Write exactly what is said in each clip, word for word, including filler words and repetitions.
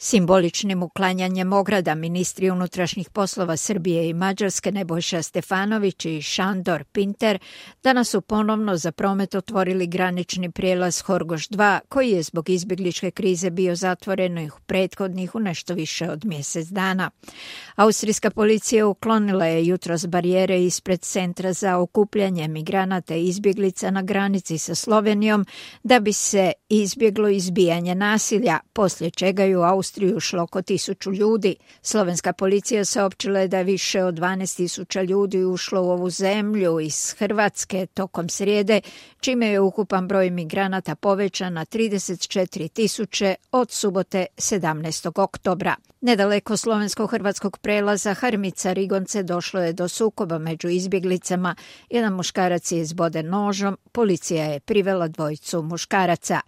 Simboličnim uklanjanjem ograda ministri unutrašnjih poslova Srbije i Mađarske Nebojša Stefanović i Šandor Pinter danas su ponovno za promet otvorili granični prijelaz Horgoš dva, koji je zbog izbjegličke krize bio zatvoren u prethodnih u nešto više od mjesec dana. Austrijska policija uklonila je jutros barijere ispred centra za okupljanje migranata i izbjeglica na granici sa Slovenijom da bi se izbjeglo izbijanje nasilja, poslije čega je u Austriju ušlo oko tisuću ljudi. Slovenska policija saopćila je da je više od dvanaest tisuća ljudi ušlo u ovu zemlju iz Hrvatske tokom srijede, čime je ukupan broj migranata povećan na trideset četiri tisuće od subote sedamnaestog oktobra. Nedaleko slovensko-hrvatskog prelaza Harmica-Rigonce došlo je do sukoba među izbjeglicama. Jedan muškarac je izboden nožom, policija je privela dvojicu muškaraca.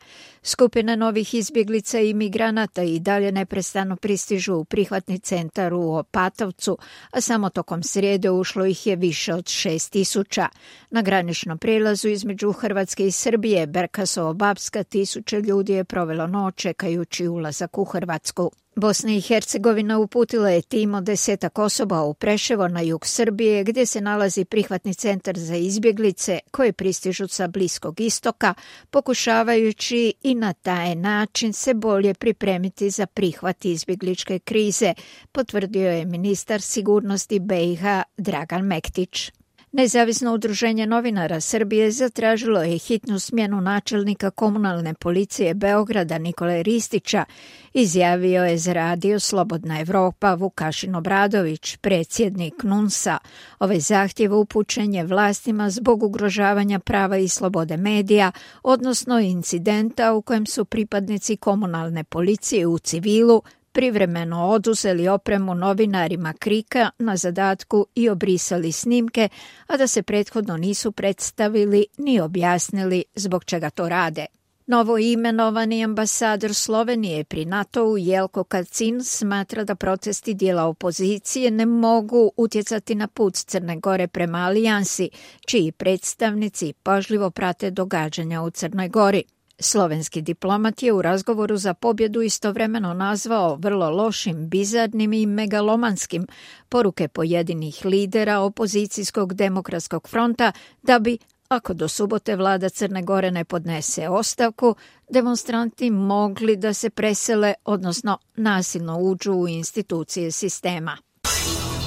Skupine novih izbjeglica i migranata i dalje neprestano pristižu u prihvatni centar u Opatovcu, a samo tokom srijede ušlo ih je više od šest tisuća. Na graničnom prijelazu između Hrvatske i Srbije, Berkasovo-Babska, tisuće ljudi je provelo noć čekajući ulazak u Hrvatsku. Bosna i Hercegovina uputila je tim od desetak osoba u Preševo na jug Srbije, gdje se nalazi prihvatni centar za izbjeglice koje pristižu sa Bliskog istoka, pokušavajući i na taj način se bolje pripremiti za prihvat izbjegličke krize, potvrdio je ministar sigurnosti B i H Dragan Mektić. Nezavisno udruženje novinara Srbije zatražilo je hitnu smjenu načelnika komunalne policije Beograda Nikole Ristića, izjavio je za radio Slobodna Evropa Vukašin Obradović, predsjednik N U N S-a. Ovaj zahtjev upućen je vlastima zbog ugrožavanja prava i slobode medija, odnosno incidenta u kojem su pripadnici komunalne policije u civilu privremeno oduzeli opremu novinarima Krika na zadatku i obrisali snimke, a da se prethodno nisu predstavili ni objasnili zbog čega to rade. Novo imenovani ambasador Slovenije pri NATO-u Jelko Kacin smatra da protesti dijela opozicije ne mogu utjecati na put Crne Gore prema alijansi, čiji predstavnici pažljivo prate događanja u Crnoj Gori. Slovenski diplomat je u razgovoru za pobjedu istovremeno nazvao vrlo lošim, bizarnim i megalomanskim poruke pojedinih lidera opozicijskog demokratskog fronta da bi, ako do subote vlada Crne Gore ne podnese ostavku, demonstranti mogli da se presele, odnosno nasilno uđu u institucije sistema.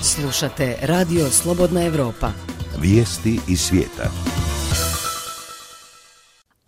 Slušate Radio Slobodna Evropa. Vijesti iz svijeta.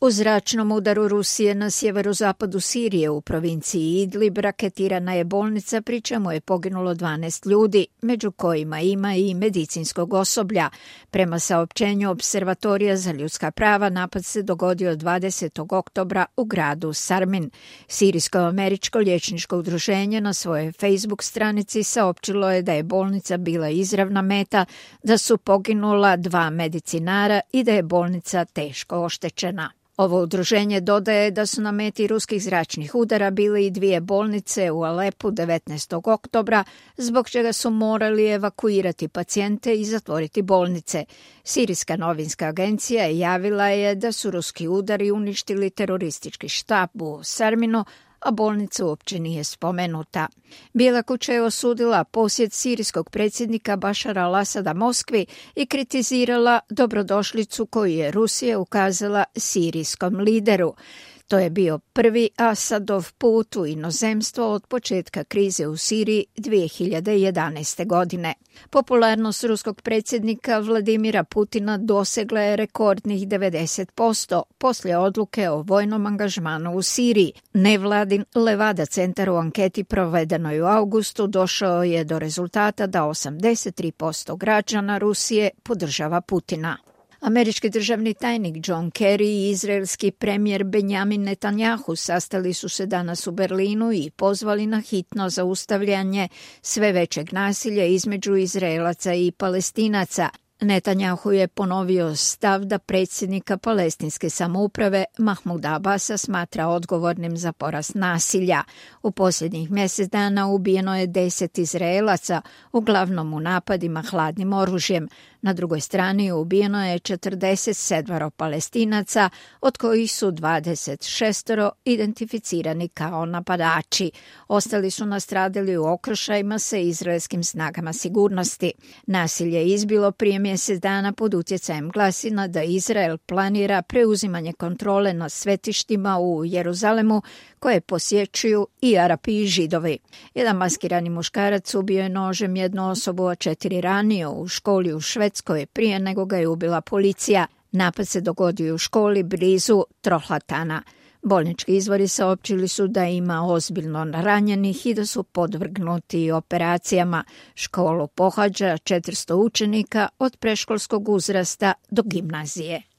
U zračnom udaru Rusije na sjeverozapadu Sirije u provinciji Idlib raketirana je bolnica, pri čemu je poginulo dvanaest ljudi, među kojima ima i medicinskog osoblja. Prema saopćenju Observatorija za ljudska prava, napad se dogodio dvadesetog oktobra u gradu Sarmin. Sirijsko-američko liječničko udruženje na svojoj Facebook stranici saopćilo je da je bolnica bila izravna meta, da su poginula dva medicinara i da je bolnica teško oštećena. Ovo udruženje dodaje da su na meti ruskih zračnih udara bile i dvije bolnice u Alepu devetnaestog oktobra, zbog čega su morali evakuirati pacijente i zatvoriti bolnice. Sirijska novinska agencija javila je da su ruski udari uništili teroristički štab u Sarminu, a bolnica uopće nije spomenuta. Bijela kuća je osudila posjet sirijskog predsjednika Bašara al-Asada Moskvi i kritizirala dobrodošlicu koju je Rusija ukazala sirijskom lideru. To je bio prvi Asadov put u inozemstvo od početka krize u Siriji dvije hiljade jedanaeste. godine. Popularnost ruskog predsjednika Vladimira Putina dosegla je rekordnih devedeset posto poslije odluke o vojnom angažmanu u Siriji. Nevladin Levada centar u anketi provedenoj u augustu došao je do rezultata da osamdeset tri posto građana Rusije podržava Putina. Američki državni tajnik John Kerry i izraelski premijer Benjamin Netanjahu sastali su se danas u Berlinu i pozvali na hitno zaustavljanje sve većeg nasilja između Izraelaca i Palestinaca. Netanjahu je ponovio stav da predsjednika palestinske samouprave Mahmuda Abasa smatra odgovornim za porast nasilja. U posljednjih mjesec dana ubijeno je deset Izraelaca, uglavnom u napadima hladnim oružjem. Na drugoj strani ubijeno je četrdeset sedam Palestinaca, od kojih su dvadeset šest identificirani kao napadači. Ostali su nastradali u okršajima sa izraelskim snagama sigurnosti. Nasilje je izbilo prije mjesec dana pod utjecajem glasina da Izrael planira preuzimanje kontrole nad svetištima u Jeruzalemu koje posjećuju i Arapi i Židovi. Jedan maskirani muškarac ubio je nožem jednu osobu, a četiri ranio u školi u Švedskoj prije nego ga je ubila policija. Napad se dogodio u školi blizu Trohlatana. Bolnički izvori saopćili su da ima ozbiljno ranjenih i da su podvrgnuti operacijama. Školu pohađa četiristo učenika od predškolskog uzrasta do gimnazije.